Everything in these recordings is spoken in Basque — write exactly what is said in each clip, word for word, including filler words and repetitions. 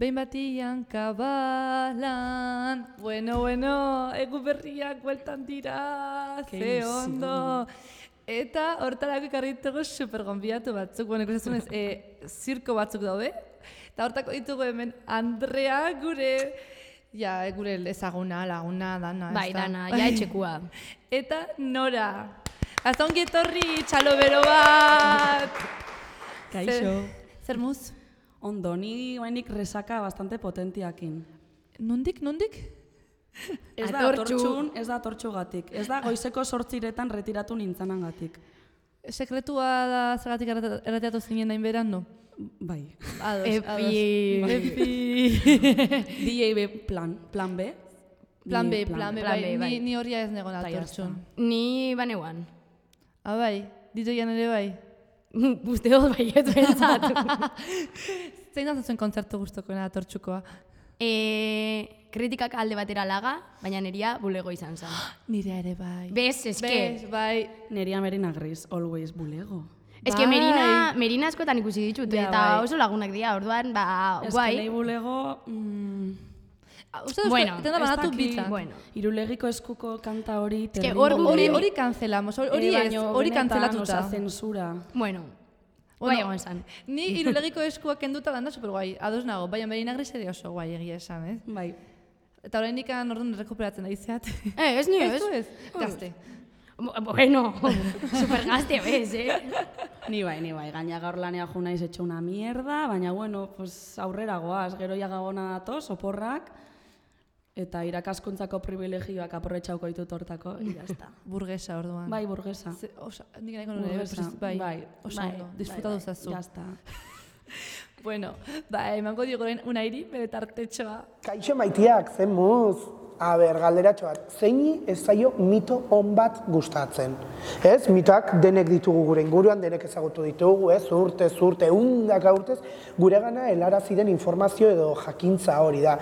behin batian kabalan. Bueno, bueno, egu berriak bueltan dira, ze ondo. Eta hortarako ekarritugu super gonbidatu batzuk, bueno, ikusten e, zirko batzuk daude. Eta hortako ditugu hemen Andrea gure, ja, gure ezaguna, laguna, dana. Bai, dana, ja etxekua. Eta Nora. Hasta ongi etorri, txalo bero bat! Kaixo. Zer muz? Ondo, ni bainik resaka bastante potentiakin. Nondik, nondik? Ez da atortxun, ez da atortxugatik. Ez da goizeko sortziretan retiratu nintzanangatik. Sekretua da zergatik erreteatu zinen nahin beran, no? Bai. Ados, Epi. Epi. D J B plan, plan B. Plan B, plan B, Plan bai. B, bai. Ni, ni horria ez negon atortxun. Ni baneguan. Ah, bai, ditoian ere bai. Uste dut baiet bentsat. Zein da zuen kontzertu guztokoena atortxukoa? E, kritikak alde batera laga, baina neria bulego izan zen. Nire ere bai. Bez, eske. Bez, bai. Neria Merina Gris, always bulego. Eske Bai. Merina, Merina askotan ikusi ditut, Ja, eta bai. oso lagunak dira, orduan, ba, Ez guai. nahi bulego... Mm, Uste dut, Bueno, tenda ez banatu dakit. bitzak. Bueno. Irulegiko eskuko kanta hori... que terrible. hor Hori, Hemen- hori kanzelamos, hori hori Eh, ez, baino hori benetan, kantzelatuta. osea, zensura. Bueno, guai egon zen. Ni irulegiko eskuak kenduta landa super guai, ados nago, baina Merina Gris ere oso guai egia esan, ez? Bai. Eta oraindik orduan rekuperatzen ari zeat. Eh, ez ni ez. Ez, ez, gazte. Bueno, super gazte bez, eh? Ni bai, ni bai, gaina gaur lanea jo naiz etxe una mierda, baina bueno, pues aurrera goaz, gero ja gabona datoz, oporrak, eta irakaskuntzako privilegioak aprobetxauko ditut hortako, y ya está. Burgesa orduan. Bai, burgesa. Ze, osa, nik nahiko nire, Burgesa, bai, bai, oso bai, ondo, bai, disfrutatu bai, zazu. Ya está. Bueno, ba, emango dio goren unairi, bere tartetxoa. Kaixo maitiak, zen muz. A ber, galderatxo bat, zeini ez zaio mito on bat gustatzen. Ez, mitoak denek ditugu gure inguruan, denek ezagutu ditugu, ez, urte, urte, undaka urtez, gure gana helarazi den informazio edo jakintza hori da.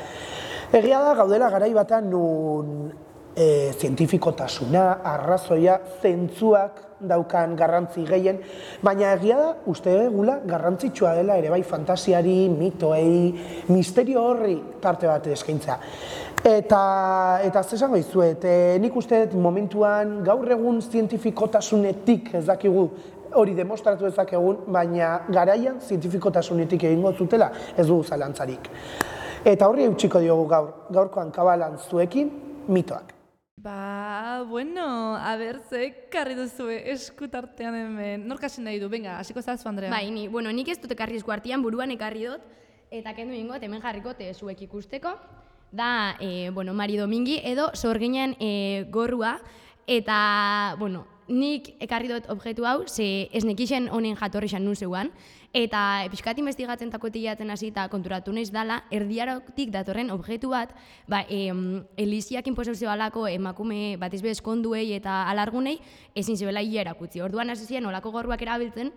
Egia da, gaudela garai batean nun e, zientifikotasuna, arrazoia, zentzuak daukan garrantzi gehien, baina egia da, uste egula garrantzitsua dela ere bai fantasiari, mitoei, misterio horri tarte bat eskaintza. Eta, eta zesango izuet, e, nik uste dut momentuan gaur egun zientifikotasunetik ez dakigu hori demostratu ezakegun, baina garaian zientifikotasunetik egingo zutela ez dugu zalantzarik. Eta horri eutxiko diogu gaur, gaurkoan kabalan zuekin mitoak. Ba, bueno, a ber, ze karri duzue eskutartean hemen. Nork hasi nahi du, venga, hasiko zazu, Andrea. Bai, ni, bueno, nik ez dut ekarri esku artean, buruan ekarri dut, eta kendu ingot, hemen jarriko te zuek ikusteko. Da, e, bueno, Mari Domingi edo sorginen e, gorrua, eta, bueno, nik ekarri dut objektu hau, ze ez nekixen honen jatorri xan nun zeuan, eta pixkat investigatzen takotiatzen hasi eta konturatu naiz dala, erdiarotik datorren objektu bat, ba, e, Eliziak inposizio alako emakume batez bez konduei eta alargunei ezin zebela hila erakutzi. Orduan hasi ziren olako gorruak erabiltzen,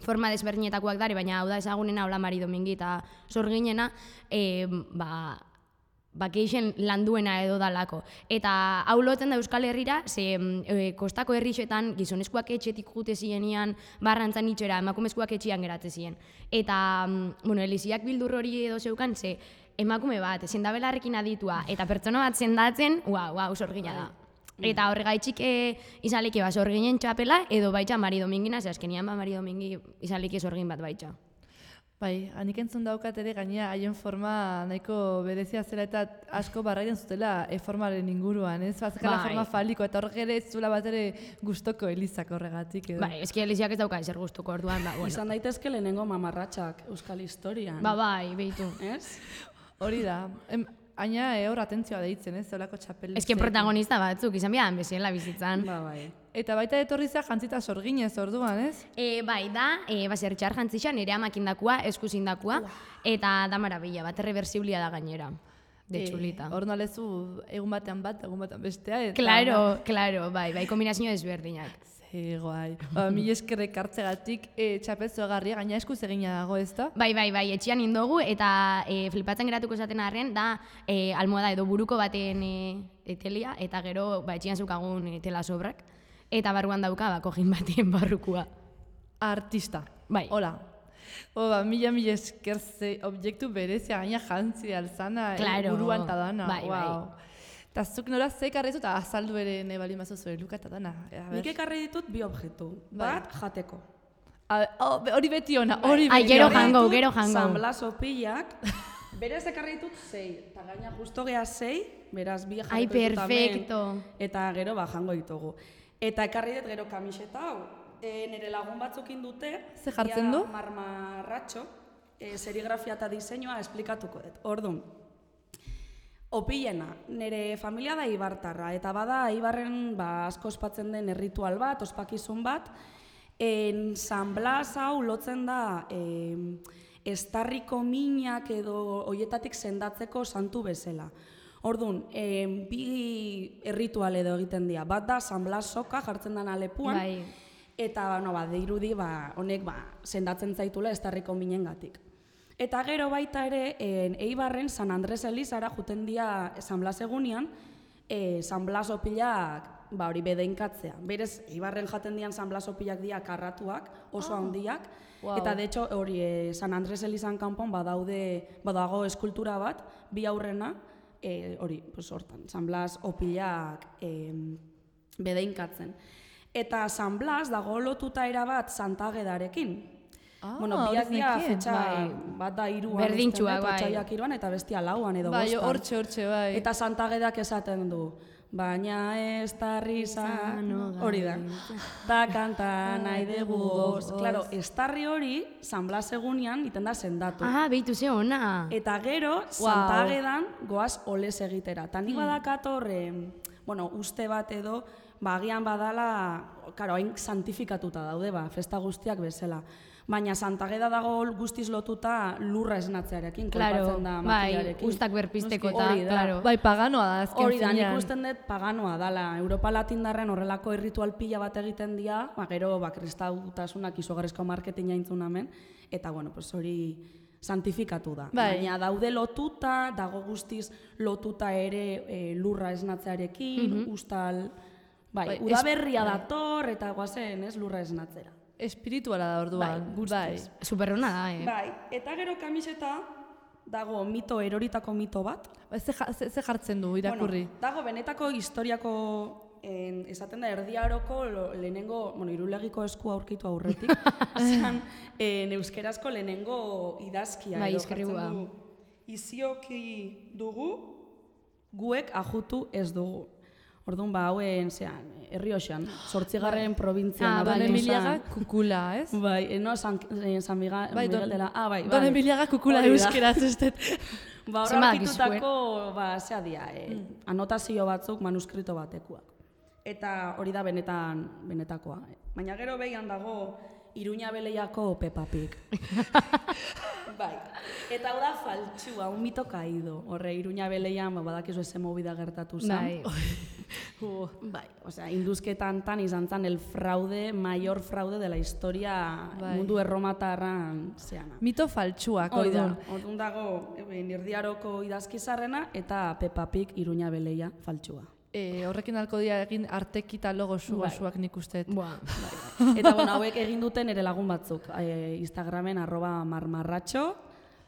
forma desberdinetakoak dare, baina hau da ezagunena, hola Mari Domingi eta sorginena, e, ba, bakeixen landuena edo dalako. Eta hau lotzen da Euskal Herrira, ze e, kostako herrixetan gizonezkoak etxetik jute zienian barrantzan itxera, emakumezkoak etxian geratzen ziren. Eta, bueno, Eliziak bildur hori edo zeukan, ze emakume bat, sendabelarrekin aditua, eta pertsona bat sendatzen, uau, uau, sorgina da. Eta horregaitxik e, izaleke ba sorginen txapela, edo baitxa Mari Domingina, ze azkenian ba Mari Domingi izaleke sorgin bat baitxa. Bai, hanik entzun daukat ere gainera haien forma nahiko berezia zela eta asko barraiden zutela e formaren inguruan, ez? Bazkala Bai. forma faliko eta horrek ere ez zuela bat ere gustoko Elizak horregatik edo. Bai, eski Eliziak ez dauka ezer gustuko orduan, ba, bueno. Izan daitezke lehenengo mamarratxak Euskal Historian. Ba, bai, behitu. Ez? Hori da. Em, Aina eh, hor atentzioa deitzen, ez? Zeolako txapel. Eski protagonista batzuk, izan bian bezala bizitzan. Ba, bai. Eta baita etorri za jantzita sorginez orduan, ez? E, bai, da, e, basertxar jantzixan, nire amakindakua, eskuzindakua, eta da marabila, bat erreversiblia da gainera, de txulita. Hor nalezu egun batean bat, egun batean bestea. Eta Claro, claro, bai, bai, kombinazio desberdinak. Ze guai. Ba, mil eskerrek hartzegatik e, txapelzo egarria, gaina eskuz egina dago, ez da? Bai, bai, bai, etxian indogu, eta e, flipatzen geratuko esaten arren, da e, almohada edo buruko baten e, etelia, eta gero ba, etxian zukagun e, tela sobrak, eta barruan dauka, ba, kojin baten barrukua. Artista. Bai. Hola. Oba, mila mila esker ze objektu berezia gaina jantzi alzana, Claro. buruan ta dana. Bai, bai. Wow. Eta zuk nora ze ekarri eta azaldu ere nahi bali mazu zure luka eta dana. A ber. Nik ekarri ditut bi objektu. Bat, jateko. A ber, oh, be- hori beti ona, hori Ai, beti gero ona. jango, Ditut gero jango. San Blas opilak, berez ekarri ditut sei, eta gaina justo geha sei, beraz bi jarriko Ai, ditut hemen, perfecto. eta gero ba jango ditugu. Eta ekarri dut gero kamiseta hau, e, nire lagun batzukin dute, Ze jartzen dia du? Marmarratxo, e, serigrafia eta diseinua esplikatuko dut. Orduan, opilena, nire familia da Ibartarra, eta bada Ibarren ba, asko ospatzen den erritual bat, ospakizun bat, en San Blas hau lotzen da eh, estarriko minak edo hoietatik sendatzeko santu bezala. Orduan, eh, bi erritual edo egiten dira. Bat da San Blas soka jartzen den alepuan, Bai. eta ba, no, ba, dirudi ba, honek ba, sendatzen zaitula estarriko minengatik. Eta gero baita ere, en, Eibarren San Andres Elizara juten dira San Blas egunean, e, San Blas opilak ba, hori bedeinkatzea. Berez, Eibarren jaten dian San Blas opilak dira karratuak, oso handiak, Wow. eta de hecho hori e, San Andres Elizan kanpon badaude, badago eskultura bat, bi aurrena, e, hori, pues, hortan, San Blas opilak e, bedeinkatzen. Eta San Blas dago lotuta erabat Santagedarekin. Ah, Bueno, hori biak ez dira nekien. fetxa Bai. bat da hiruan, Berdintsuak, uste dut, bai. otsaiak hiruan, eta bestia lauan edo Bai, bostan. hortxe, hortxe, bai. Eta Santagedak esaten du, baina ez tarri izan, hori da. Ta kanta nahi dugu goz. Claro, estarri hori, San Blas egunean, iten da sendatu. Ah, behitu ze ona. Eta gero, Santagedan goaz oles egitera. Ta ni badakator, eh, bueno, uste bat edo, ba, agian badala, karo, hain santifikatuta daude, ba, festa guztiak bezala. Baina Santageda dago guztiz lotuta lurra esnatzearekin, Claro, kolpatzen da bai, makilarekin. ustak berpizteko Noski, eta, hori da. claro. Bai, paganoa da azken Hori da, nik finean. usten dut paganoa dala. Europa Latindarren horrelako erritual pila bat egiten dira, ba, gero ba, kristautasunak izugarrizko marketinga intzun hemen, eta bueno, pues hori santifikatu da. Bai. Baina daude lotuta, dago guztiz lotuta ere e, lurra esnatzearekin, ustal, bai, Bai, udaberria es- dator eta guazen, ez, lurra esnatzera. Espirituala da orduan. Bai, guztiz. Superrona da, eh? Bai, eta gero kamiseta dago mito, eroritako mito bat. Bai, ze, ja- ze, ze jartzen du irakurri? Bueno, dago benetako historiako, en, esaten da, Erdi Aroko lo- lehenengo, bueno, Irulegiko esku aurkitu aurretik, zan, en, euskerazko lehenengo idazkia. Bai, edo eskerrua. jartzen du, Izioki dugu, guek ajutu ez dugu. Orduan, ba, hauen, zean, Errioxan, zortzigarren probintzian. Ah, Don bai, agertu Emiliaga zen. kukula, ez? Bai, eh, no, San, eh, San Miga, Bai, don- Miguel de la... Ah, bai, Don bai. Emiliaga kukula Hori da. euskeraz ez dut. Ba, hor Zenbat aurkitutako, ba, zea dia, eh, anotazio batzuk manuskrito batekuak. Eta hori da benetan, benetakoa. Baina gero behian dago Iruña Beleiako Peppa Pig. Bai. Eta hau da faltsua, un mito caído. Horre, Iruña Beleian, ba, badakizu eze movida gertatu zen. Bai. Bai, osea, induzketan tan izan zen el fraude, mayor fraude de la historia Bai. mundu erromatarran zeana. Mito faltsuak, Hori da, orduan. orduan dago eh, Erdiaroko idazkizarrena eta Peppa Pig Iruña Beleia faltsua. E, horrekin alko dira egin artekita logo zu Bai. gozuak nik uste. Buah. Eta bueno, hauek egin duten ere lagun batzuk. E, Instagramen arroba marmarratxo,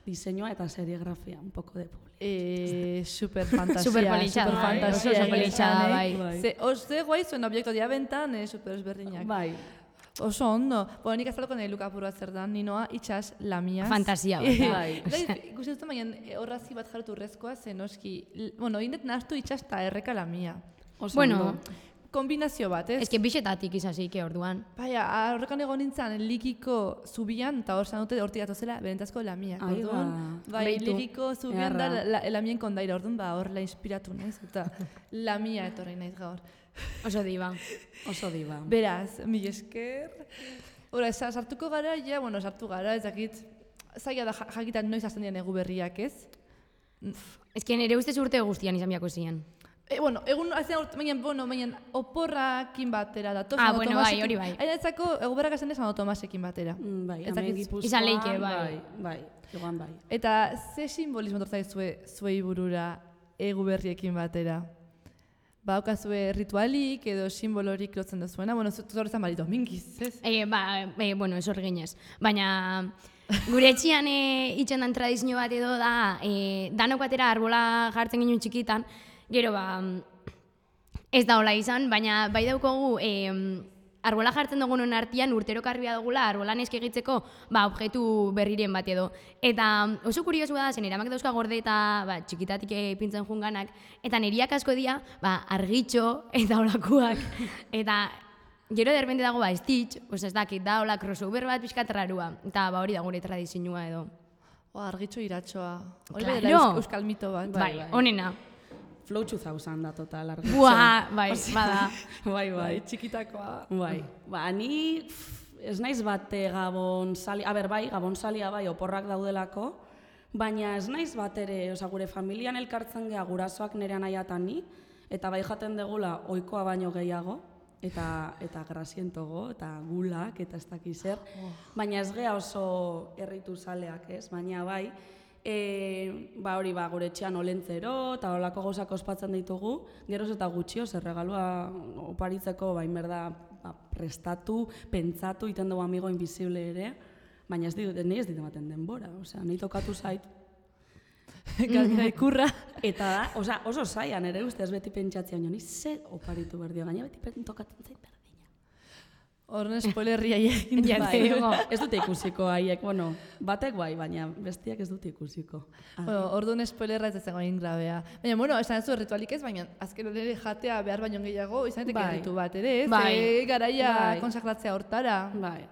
diseñoa eta serigrafia, un poco de publi. E, super fantasia. Super politxada, super bai, fantasia. oso egin politxada, zen, eh? bai. Bai. Ze, oze guai zuen obiektu dira bentan, eh, super ezberdinak. Bai, Oso ondo. Bueno, nik azaloko nahi luka apurua zer da, ninoa itxas lamiaz. Fantasia bat, da. Bai. Ikusten dut, baina eh, horrazi bat jarretu urrezkoa, zen oski, l- bueno, indet nahastu itxas eta erreka lamia. oso Bueno, ondo. Kombinazio bat, ez? Ez que bixetatik izazike orduan. Baina, horrekan egon nintzen, likiko zubian, eta hor zanute hortik datozela, benetazko lamiak, Ai, orduan. ba. Bai, Beitu. likiko zubian da, Ederra. la, lamien kondaira, orduan, ba, hor la inspiratu naiz, eta lamia etorri naiz gaur. Oso diba. Oso diba. Beraz, mil esker. Hora, sa- sartuko gara, ja, bueno, sartu gara, ez dakit, zaila da ja- jakitan noiz hasten dian egu berriak, ez? Ez que nire ustez urte guztian izan biako zian. E, bueno, egun, azean, urt- baina, bueno, baina, oporrakin batera dator. Ah, Santo bueno, Tomasekin- bai, hori bai. Aina etzako, egu berrak esan Santo Tomasekin batera. Mm, Bai, Ez hemen dakit- Gipuzkoan, Izan leike, bai. Bai, bai, egoan bai. Eta ze simbolismo tortzai zue, zuei burura egu berriekin batera? baukazue ritualik edo simbolorik lotzen duzuena? Bueno, zorretan Mari Domingiz, ez? E, ba, e, bueno, esor ginez. Baina gure etxian e, itxen dan tradizio bat edo da, e, danok batera arbola jartzen ginen txikitan, gero ba, ez da hola izan, baina bai daukogu e, arbola jartzen dugunon artean urtero karbia dugula arbolan eskigitzeko ba, objektu berriren bat edo. Eta oso kuriosu da, zen eramak dauzka gorde eta ba, txikitatik pintzen junganak, eta neriak asko dira ba, argitxo eta olakuak. Eta gero derbente dago ba, Stitch, pues ez dakit, da hola crossover bat pixkat rarua. Eta ba, hori da gure tradizioa edo. O, argitxo iratxoa. Hori Claro. dela euskal mito bat. Bai, bai, onena. Flow two thousand da total argitxo. Buah, bai, bada. Bai, bai. Bai, txikitakoa. Bai, ba, ni pff, ez naiz bate gabon sali, a ber, bai, gabon salia bai, oporrak daudelako, baina ez naiz bat ere, oza, gure familian elkartzen geha gurasoak nire anaiatan ni, eta bai jaten degula ohikoa baino gehiago, eta eta grasientogo, eta gulak, eta ez dakiz zer, baina ez geha oso erritu saleak, ez, baina bai, E, ba hori ba, gure etxean olentzero eta olako gauzak ospatzen ditugu, geroz eta gutxio, zer regalua oparitzeko bain berda ba, prestatu, pentsatu, iten dugu amigo invisible ere, baina ez dit, nahi ez dit ematen denbora, osea, nahi tokatu zait. Galdera ikurra. Eta da, osea, oso zaian ere ustez beti pentsatzea, ni ze oparitu berdio, gaina beti tokatzen zait berdina. Horren spoilerria egin Ja, Bai, digo. ez dute ikusiko haiek, bueno, batek bai, baina bestiak ez dute ikusiko. Bueno, orduan spoilerra ez zen goin grabea. Baina, bueno, esan zu ritualik ez, baina azken hori jatea behar baino gehiago, izan daiteke Bai. ritu bat ere, ez? Bai. Ze garaia Bai. konsakratzea hortara. Bai.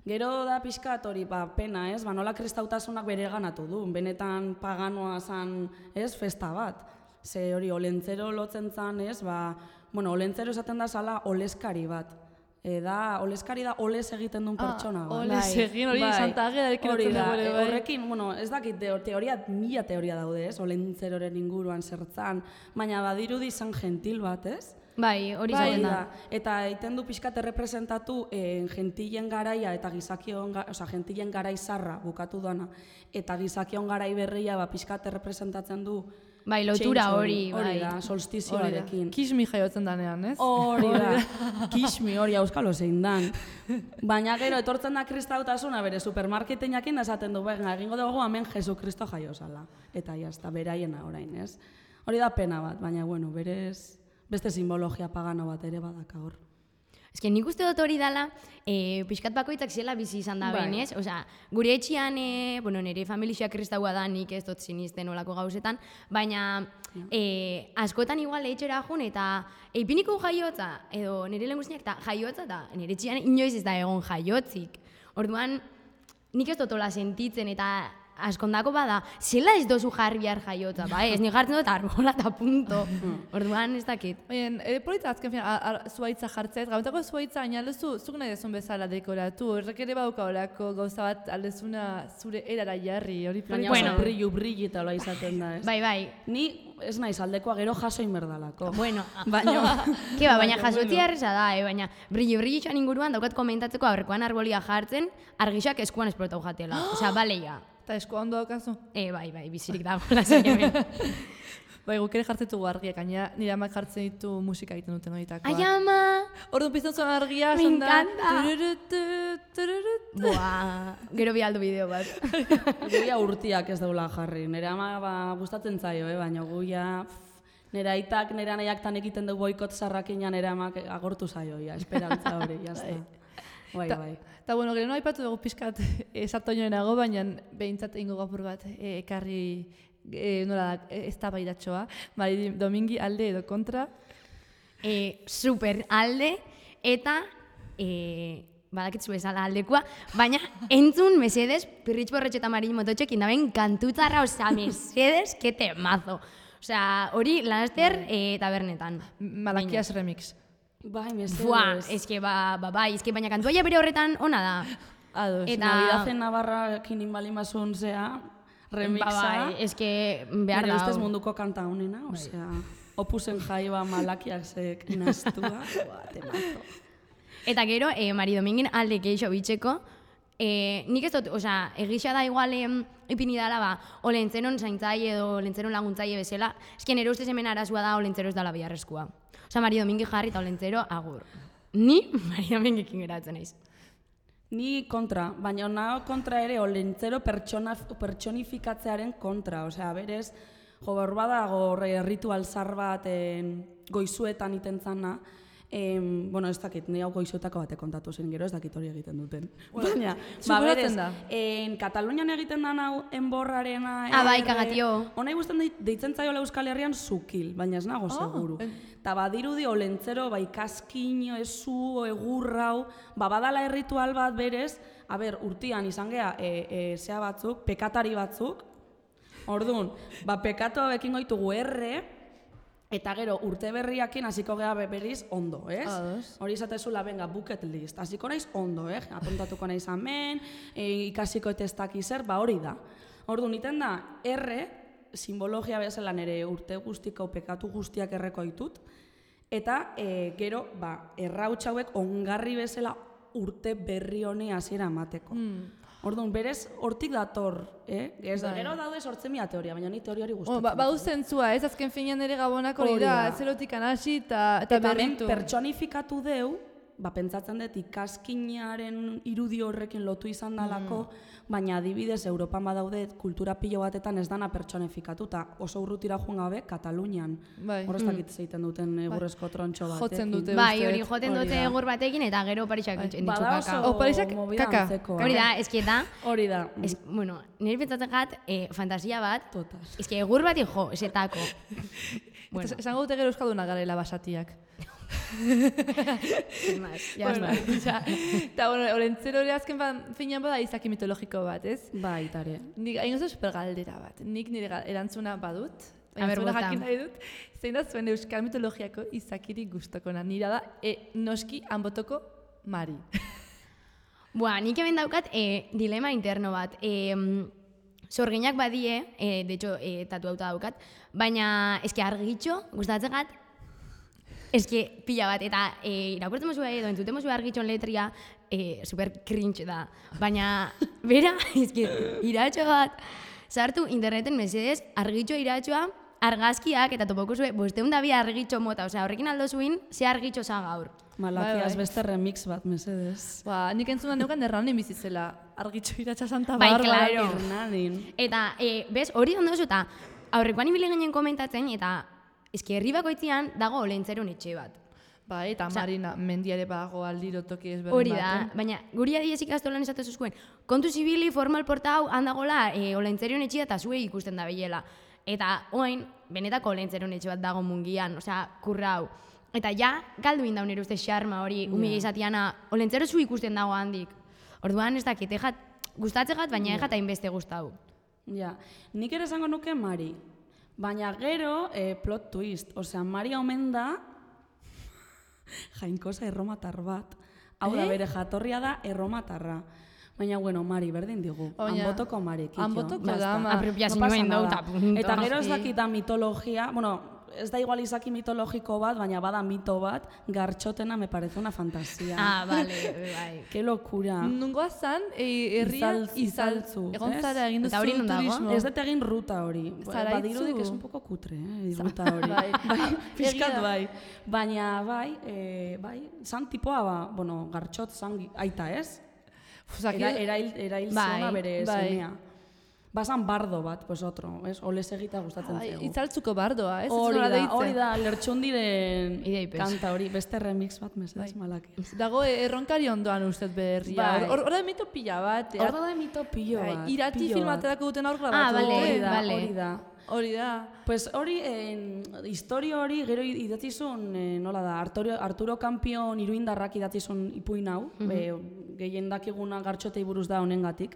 Gero da pixkat hori, ba, pena, ez? Ba, nola kristautasunak bere ganatu du. Benetan paganoa zan, ez, festa bat. Ze hori, olentzero lotzen zan, ez? Ba, bueno, olentzero esaten da zala oleskari bat. E, da, oleskari da oles egiten duen pertsona bat. Oles egin, hori Santa Agedarekin hori lotzen da, dugu ere, e, bai. horrekin, bueno, ez dakit, teo- teoria, mila teoria daude, ez? Olentzeroren inguruan zertzan, baina badirudi izan gentil bat, ez? Bai, hori Bai, zaten da. da. Eta egiten du pixkat errepresentatu eh, gentilen garaia eta gizakion, ga, oza, gentilen garai zarra bukatu dana, eta gizakion garai berria ba, pixkat errepresentatzen du Bai, lotura change hori, hori bai. da, Hori da. solstizioarekin. Kismi jaiotzen danean, ez? Hori da, kismi hori auskalo zein dan. Baina gero, etortzen da kristautasuna bere supermarketin jakin da esaten du, venga, egingo dugu hemen Jesu Kristo jaio zala. Eta jazta, beraiena orain, ez? Hori da pena bat, baina, bueno, berez, beste simbologia pagano bat ere badaka hor. Ez que nik uste dut hori dela, e, pixkat bakoitzak zela bizi izan da Bai. behin, ez? Osea, gure etxian, e, bueno, nire familia kristaua da, nik ez dut sinisten olako gauzetan, baina e, askotan igual etxera jun eta eipiniko jaiotza, edo nire lehen guztiak eta jaiotza, eta nire etxian inoiz ez da egon jaiotzik. Orduan, nik ez dut hola sentitzen eta askondako bada, zela ez dozu jarri behar jaiotza, ba, ez, nik jartzen dut arbola eta punto. Orduan ez dakit. Baina, e, polita azken fina, zuaitza jartzea, gabetako zuaitza, baina aldezu, zuk nahi dezun bezala dekoratu, horrek ere badauka horako gauza bat aldezuna zure erara jarri, hori Baina polita. bueno, brillu, brilli eta loa izaten da, ez? Bai, bai. Ni ez naiz aldekoa gero jaso inberdalako. Bueno, Baina, Ke ba, baina jasotzia erreza da, eh? Baina brilli brilli txan inguruan daukat komentatzeko aurrekoan arbolia jartzen, argixak eskuan esplotau jatela. Osea, bale ja. Eta esko ondo daukazu. E, bai, bai, bizirik dago lasai hemen. Bai, guk ere jartzen dugu argiak, gaina nire amak jartzen ditu musika egiten duten horitakoak. Ai, ama! Orduan pizten zuen argia, Me esan da, encanta. tururutu, tururutu. Buah, gero bi aldo bideo bat. guia urtiak ez daula jarri. Nire ama ba, gustatzen zaio, eh? Baina guia... Nire aitak, nire anaiak tan egiten du boikot zarrakinan nire amak agortu zaio, ja, esperantza hori, jazta. Bai, Ta- bai. Eta bueno, gero aipatu dugu pixkat esatoinoenago, baina behintzat egingo gapur bat e, ekarri e, nola da, e, ez da baidatxoa. Bai, Domingi alde edo kontra. E, super alde eta e, badakitzu bezala aldekoa, baina entzun mesedez Pirritx Borretxe eta Marin Mototxekin daben kantutzarra, osea, mesedez, que temazo. Osea, hori laster e, tabernetan. Malakias remix. Bai, mesedez. Buah, eske ba, ba, bai, eske baina kantua ja bere horretan ona da. Ados. Eta- Navidazen Navarrakin inbalimazun zea, remixa. Ba, bai, eske behar Nire da. ustez hau. munduko kanta honena, osea, opusen jaiba malakiak zek inaztua, buah, temazo. Eta gero, e, Mari Domingin alde geixo bitxeko, E, nik ez dut, osea, egisa da igual em, ipini dala, ba, olentzeron zaintzaile edo olentzeron laguntzaile bezala, esken ere ustez hemen arazua da olentzero ez dala biharrezkoa. Osea, Mari Domingi jarri eta olentzero agur. Ni Mari Domingikin geratzen naiz. Ni kontra, baina nago kontra ere olentzero pertsona, pertsonifikatzearen kontra, osea, berez, jo, hor badago ritual zar bat en, goizuetan iten zana, Em, bueno, ez dakit, ni hau goizuetako batek kontatu zen, gero ez dakit hori egiten duten. Baina, ba, berez, en Katalunian egiten da hau enborrarena... Ah, bai, kagatio. Hona igusten deitzen zaiola Euskal Herrian zukil, baina ez nago seguru. Eta badirudi olentzero, bai, kaskino, ezu, egurrau, ba, badala erritual bat berez, a ber, urtian izan geha, e, e, zea batzuk, pekatari batzuk, orduan, ba, pekatu hauekin goitugu erre, eta gero urte berriakin hasiko gea berriz ondo, ez? Hori izatezula, benga, bucket list. Hasiko naiz ondo, eh? Apuntatuko naiz hemen, e, ikasiko etestak izer, ba hori da. Orduan, iten da, erre, simbologia bezala nire urte guztiko pekatu guztiak erreko ditut, eta e, gero, ba, errautsa hauek ongarri bezala urte berri honi hasiera emateko. Mm. Orduan, berez, hortik dator, eh? Ez da, gero daude sortzen mila teoria, baina ni teoria hori gustatzen. Ba, badu zentzua, ez azken finean ere gabonak hori da, zerotik anasi eta berritu. Eta personifikatu deu, ba, pentsatzen dut ikaskinaren irudi horrekin lotu izan dalako, baina adibidez, Europan badaude kultura pilo batetan ez dana pertsonifikatu, eta oso urrutira joan gabe, Katalunian. Horreztakit zeiten duten egurrezko trontxo batekin. Jotzen dute, bai, hori joten dute egur batekin, eta gero Parisak ditu kaka. O, Parisak kaka. Hori da, eski eta... Hori da. Bueno, nire pentsatzen gat, fantasia bat, eski egur bat jo, esetako. Esango dute gero euskalduna garela basatiak. Ja, eta, bueno, olentzero hori azken finean bada izaki mitologiko bat, ez? Ba, itare. Nik hain oso supergaldera bat. Nik nire erantzuna badut, erantzuna jakin nahi dut, zein da zuen euskal mitologiako izakiri guztokona. Nira da, e, noski hanbotoko Mari. Boa, nik hemen daukat e, dilema interno bat. E, Sorginak badie, e, de hecho, e, tatu auta daukat, baina eski argitxo, gustatzen gat, eski pila bat, eta e, irakurtzen mozua edo, entzuten mozua argitxon letria, e, super cringe da. Baina, bera, eski, iratxo bat, sartu interneten mesedez, argitxo iratxoa, argazkiak, eta topoko zuen, bosteun da bi argitxo mota, osea, horrekin aldo zuen, ze argitxo za gaur. Malakiaz beste remix bat, mesedez. Ba, nik entzunan neukan erranin bizizela, argitxo iratxa Santa Bai, Barbara. claro. Ernanin. Eta, e, bez, hori ondo zu, eta aurrekoan ibili ginen komentatzen, eta eski herri bakoitzean dago olentzeron etxe bat. Bai, eta Marina mendiare bago aldiro toki ezberdin bat. Hori da, baina guri adiez ikastolan esatu zuzkuen, kontu zibili formal porta hau handagola e, olentzerion etxea eta zuei ikusten da behiela. Eta oain, benetako olentzerion etxe bat dago mungian, osea, kurra hau. Eta ja, galdu indaun ere uste xarma hori, umile izatiana, olentzero zu ikusten dago handik. Orduan ez dakit, ejat, gustatzegat, baina ejat hainbeste gustau. Ja, nik ere esango nuke Mari. Baina gero, eh, plot twist, osea, Mari omen da jainkosa erromatar bat. Hau da, bere jatorria da erromatarra. Baina, bueno, Mari, berdin digu. Hanbotoko Mari, kitxo. Hanbotoko da, ma. Apropiazioen dauta, punto. Eta gero ez dakita mitologia, bueno, ez da igual izaki mitologiko bat, baina bada mito bat, gartxotena me parece una fantasia. Ah, vale, bai. Ke locura. Nungoa zan, herria izaltzu. Egon zara egin duzu turismo. Ez dut egin ruta hori. Badirudik es un poco kutre, eh, ruta hori. Piskat bai. Baina bai, bai, zan tipoa, ba, bueno, gartxot zan aita ez? Erail zona bere semea. Basan bardo bat, pues otro, ez? Olez egita gustatzen zego. Itzaltzuko bardoa, ez? Hori da, hori da, lertxundiren kanta hori, beste remix bat mesedez malak. Dago erronkari ondoan ustez berria. Hor da mito pila bat. Hor da mito pilo bat. Irati filmaterako duten aurra bat. Ah, bale, hori da. Hori da. Pues hori, historio hori, gero idatzizun, nola da, Arturo Campion iruindarrak idatzizun ipuin hau, gehien dakiguna gartxotei buruz da honengatik.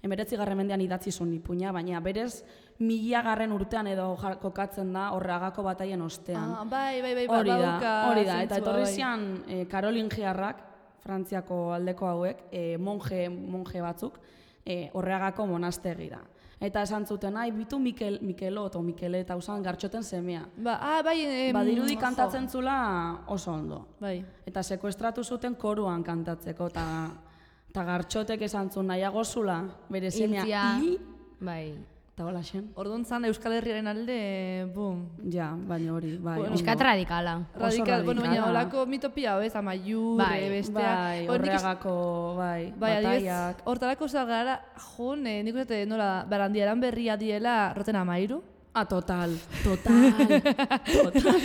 Emeretzi garren mendean idatzi zuen ipuina, baina berez mila garren urtean edo kokatzen da horregako bataien ostean. Ah, bai, bai, bai, hori da, hori da. Eta etorri zian eh, karolingiarrak, Frantziako aldeko hauek, eh, monje, monje batzuk, eh, horregako monastegira. Eta esan zuten, ai, bitu Mikel, Mikelot o Mikele eta usan gartxoten semea. Ba, ah, bai, em, Badirudi kantatzen zula oso ondo. Bai. Eta sekuestratu zuten koruan kantatzeko, eta Eta gartxotek esan zuen nahiago zula, bere semea Hiltzia. hi, Bai. eta hola xen. Orduan zan Euskal Herriaren alde, bum. Ja, baina hori, bai. Bueno, ondo. Euskat radikala. Oso Radikal, bueno, baina radikala. holako mitopia hau ez, amaiur, Bai, eh, bestea. Bai, Hor nik is- horregako, bai, Bai, adibidez, bataiak. hortarako zagara, jun, eh, nik uste nola, barandiaran berria diela roten amairu. Ah, total, total, total.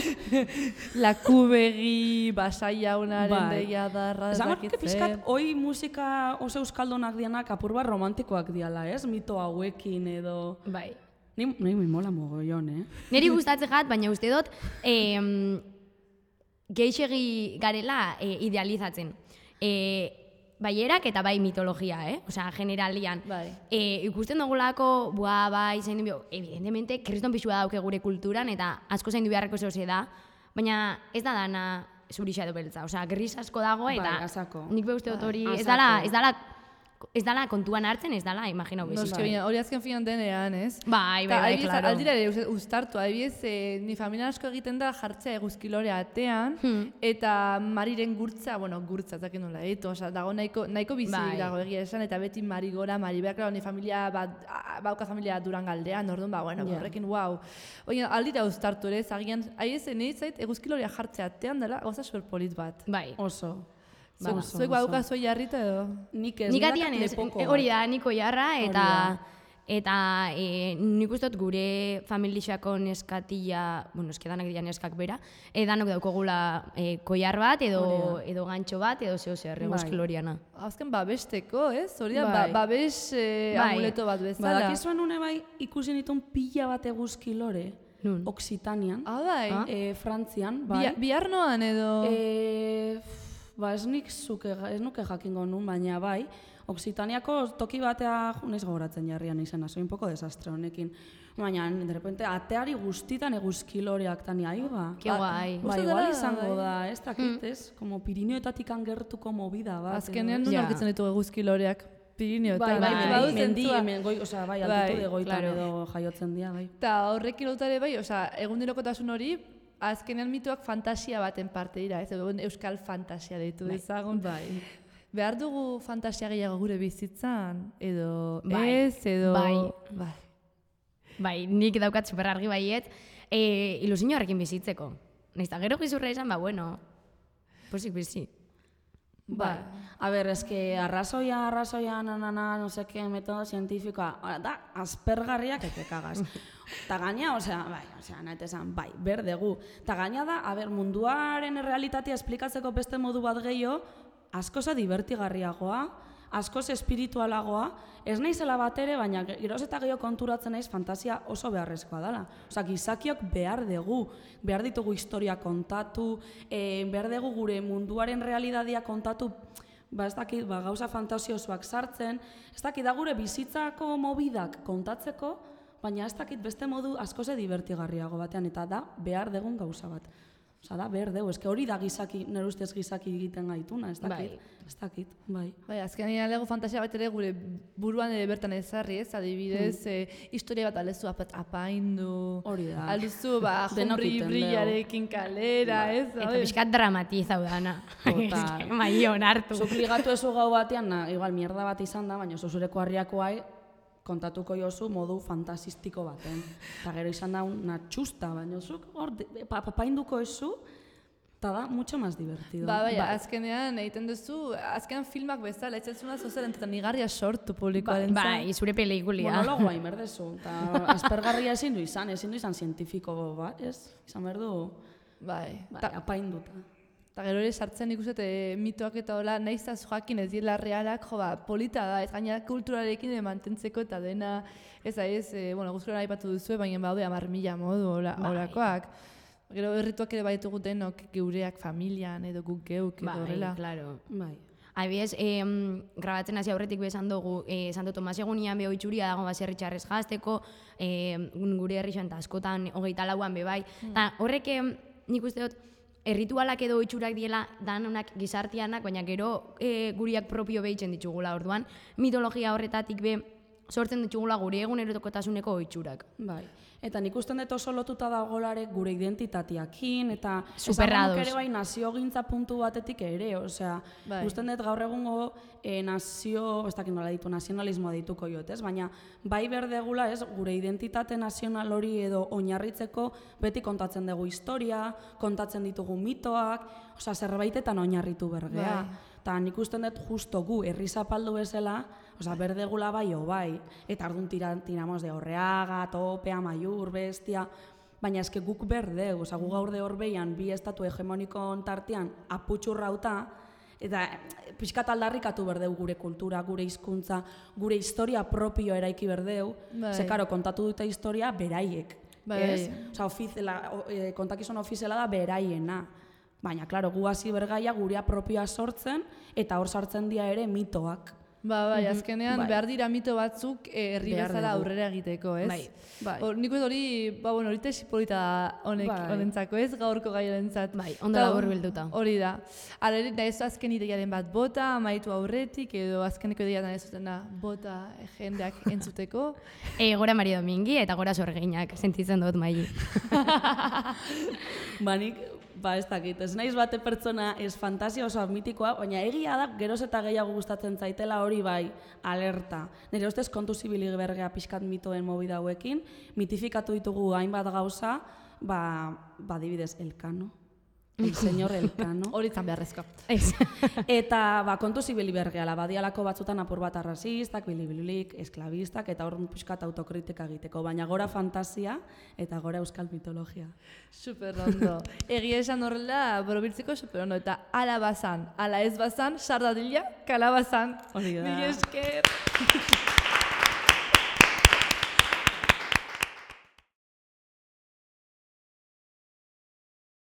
Lakubegi, basai jaunaren Bai. deia darra, Esan dakit que pizkat, zer. hoi musika oso euskaldonak dianak apur bat romantikoak diala, ez? Mito hauekin edo... Bai. Ni, ni mi mola mogollon, eh? Neri gustatzen jat, baina uste dut em, geixegi garela e, idealizatzen. E, bai erak eta bai mitologia, eh? Osea, generalian. Bai. E, ikusten dugulako, bua, bai, zain du, evidentemente, kriston pixua dauke gure kulturan, eta asko zain du beharreko zehose da, baina ez da dana zurixa edo beltza. Osea, gris asko dago, eta Bai, azako. nik be uste dut hori, ez Azako. dala, ez dala, ez dala kontuan hartzen, ez dala, imaginau Noski, bezik. baina hori azken finan denean, ez? Bai, bai, Ta, bai, adibidez, claro. aldira ere uste- uztartu, adibidez, eh, ni familia asko egiten da jartzea eguzkilore atean, Hmm. eta mariren gurtza, bueno, gurtza, zaken nola, eto, oza, dago nahiko, nahiko bizi Bai. dago egia esan, eta beti mari gora, mari behar, claro, ni familia bat, a- bauka familia Durangaldean, orduan, ba, bueno, Ja. horrekin, wow. Oina, aldira uztartu ere, zagian, aiez, nahi zait, eguzkilorea jartzea atean dela, gauza superpolit bat. Bai. Oso. Ba, Oso, zuek oso. badauka zoi jarrita edo? Nik ez, Nik nik atian ez, lepoko e, hori bat. da, niko jarra, eta da. eta e, nik uste dut gure familixako neskatila, bueno, eskedanak dira neskak bera, e, danok daukogula e, koiar bat, edo, edo gantxo bat, edo zeo zer, Bai. eguzkiloriana. Azken babesteko, ez? Hori da, Bai. ba, babes eh, Bai. amuleto bat bezala. Badakizuen une bai ikusi nituen pila bat eguzkilore, Nun? Oksitanian, Ah, bai. Ah. eh, Frantzian, bai. Bi- Biharnoan edo... Eh, ba, ez nik zuke, ez nuke jakingo nun, baina bai, Oksitaniako toki batea, jo, naiz gogoratzen jarrian izena, soy un poco desastre honekin. Baina, de repente, ateari guztitan eguzkiloreak tani, ahi ba. Ke guai. Ba, Uste igual dela, izango bai. da, ez dakit, ez? Como Pirineoetatik gertuko movida bat. Azkenean edo, nun Ja. aurkitzen ditugu eguzkiloreak Pirineoetan. Bai, bai, Bai, bai, badu mendi, zentzua. hemen goi, osea, bai, Bai, altitude goitan claro. edo jaiotzen dira, bai. Eta horrekin lotare bai, osea, egundirokotasun hori, azkenean mitoak fantasia baten parte dira, ez? Edo euskal fantasia deitu dezagun. Bai. Behar dugu fantasia gehiago gure bizitzan, edo Bai. ez, edo... Bai. Bai. Bai, nik daukat super argi baiet, e, ilusio horrekin bizitzeko. Naiz eta gero gizurra esan, ba, bueno, posik bizi. Bai. A ber, eske arrazoia, arrazoia, nanana, no sé qué, metodo científicoa, ora, da, aspergarriak eke kagaz. Ta gaina, osea, bai, osea, nahi esan, bai, berdegu. Ta gaina da, a ber, munduaren realitatea esplikatzeko beste modu bat gehiago, askoza divertigarriagoa, askoz espiritualagoa, ez naizela bat ere, baina geroz eta gehiago konturatzen naiz fantasia oso beharrezkoa dela. Osea, gizakiok behar dugu, behar ditugu historia kontatu, e, behar dugu gure munduaren realitatea kontatu, ba ez dakit, ba, gauza fantasiosoak sartzen, ez dakit da gure bizitzako mobidak kontatzeko, baina ez dakit beste modu askoze divertigarriago batean, eta da behar dugun gauza bat. Osa da, behar dugu, eske hori da gizaki, nire ustez gizaki egiten gaituna, ez dakit, Bai. ez dakit, bai. Bai, azkenean lego fantasia bat ere gure buruan ere bertan ezarri, ez? Adibidez, eh, historia bat alezu apat, apaindu. Hori da. Alduzu, ba, Denok jombri iten brillarekin kalera, ez? Eta Bai. pixkat dramatizau dana. Total. Bai, onartu. Zuk ligatu ezu gau batean, na, igual mierda bat izan da, baina zuzureko harriakoai kontatuko jozu modu fantasistiko baten. Eta gero izan da una txusta, baina zuk hor de- pa, papainduko ezu, eta da mucho más divertido. Ba, bai, azkenean egiten duzu, azkenean filmak bezala, ez zuna zozer entetan igarria sortu publikoaren Bai, zure pelikulia. Monologoa inberdezu, eta aspergarria ezin du izan, ezin du izan zientifiko bat, ez? Izan behar du, Bai, bai, ta, apainduta. ta gero ere sartzen ikuset e, mitoak eta hola, nahiz eta joakin ez diela realak, jo, ba, polita da, ez gaina kulturarekin e, mantentzeko eta dena, ez da ez, e, bueno, guzturan aipatu duzu, baina baude hamar mila modu hola, Bai. holakoak. Gero errituak ere baitugu denok geureak familian edo guk geuk edo Bai, horrela. claro. Bai. Adibidez, em, grabatzen hasi aurretik be esan dugu, eh, Santo Tomas egunian be oitzuria dago baserri txarrez jazteko, eh, gure herri xanta askotan hogeita lauan be bai. Ta horrek em, nik uste dut, erritualak edo oitzurak diela danonak gizartianak, baina gero eh, guriak propio behitzen ditugula orduan. Mitologia horretatik be sortzen ditugula gure egunerokotasuneko ohiturak. Bai. Eta nik usten dut oso lotuta dagolarek gure identitateakin, eta Superrados. ere bai naziogintza puntu batetik ere, osea, Bai. usten dut gaur egungo e, nazio, ez dakit nola ditu, nazionalismoa dituko jot, ez? Baina bai berdegula, ez, gure identitate nazional hori edo oinarritzeko beti kontatzen dugu historia, kontatzen ditugu mitoak, osea, zerbaitetan oinarritu bergea. Bai. Eta nik usten dut justo gu herri zapaldu bezala, osea, berdegula bai o bai, eta ardun tira, tiramos de Orreaga, Tope, Amaiur, Bestia, baina eske guk berdegu, osea, gu gaur de horbeian bi estatu hegemoniko tartean aputxurrauta, eta pixkat aldarrikatu berdeu gure kultura, gure hizkuntza, gure historia propio eraiki berdeu, Bai. ze karo, kontatu dute historia beraiek, Bai. ez? Osea, ofiziala, o, e, kontakizun ofiziala da beraiena. Baina, klaro, gu hasi bergaia gurea propioa sortzen, eta hor sartzen dira ere mitoak. Ba, bai, azkenean bai. behar dira mito batzuk eh, herri Behar bezala dugu. aurrera egiteko, ez? Bai, bai. Hor, nik uste hori, ba, bueno, hori tesipolita da honek, Bai. honentzako, ez? Gaurko gai honentzat. Bai, ondo Eta laburbilduta. Hori da. Hala ere, da ez azken ideiaren bat bota, amaitu aurretik, edo azkeneko ideia da ez zutena bota eh, jendeak entzuteko. E, gora Mari Domingi eta gora Sorginak, sentitzen dut Maili. Ba, nik, ba, ez dakit, ez naiz bate pertsona ez fantasia oso mitikoa, baina egia da, geroz eta gehiago gustatzen zaitela hori bai, alerta. Nire ustez kontu zibilik bergea pixkat mitoen mobida hauekin, mitifikatu ditugu hainbat gauza, ba, ba dibidez, Elkano, el señor Elkano. Hori zan beharrezko. Ez. Eta ba, kontu zibili bergeala, badialako batzutan apur bat arrazistak, bilibilik, esklabistak, eta hor pixkat autokritika egiteko, baina gora fantasia eta gora euskal mitologia. Super ondo. Egia esan horrela, borobiltzeko super ondo. Eta ala bazan, ala ez bazan, sardadila, kalabazan. Hori da. Mila esker.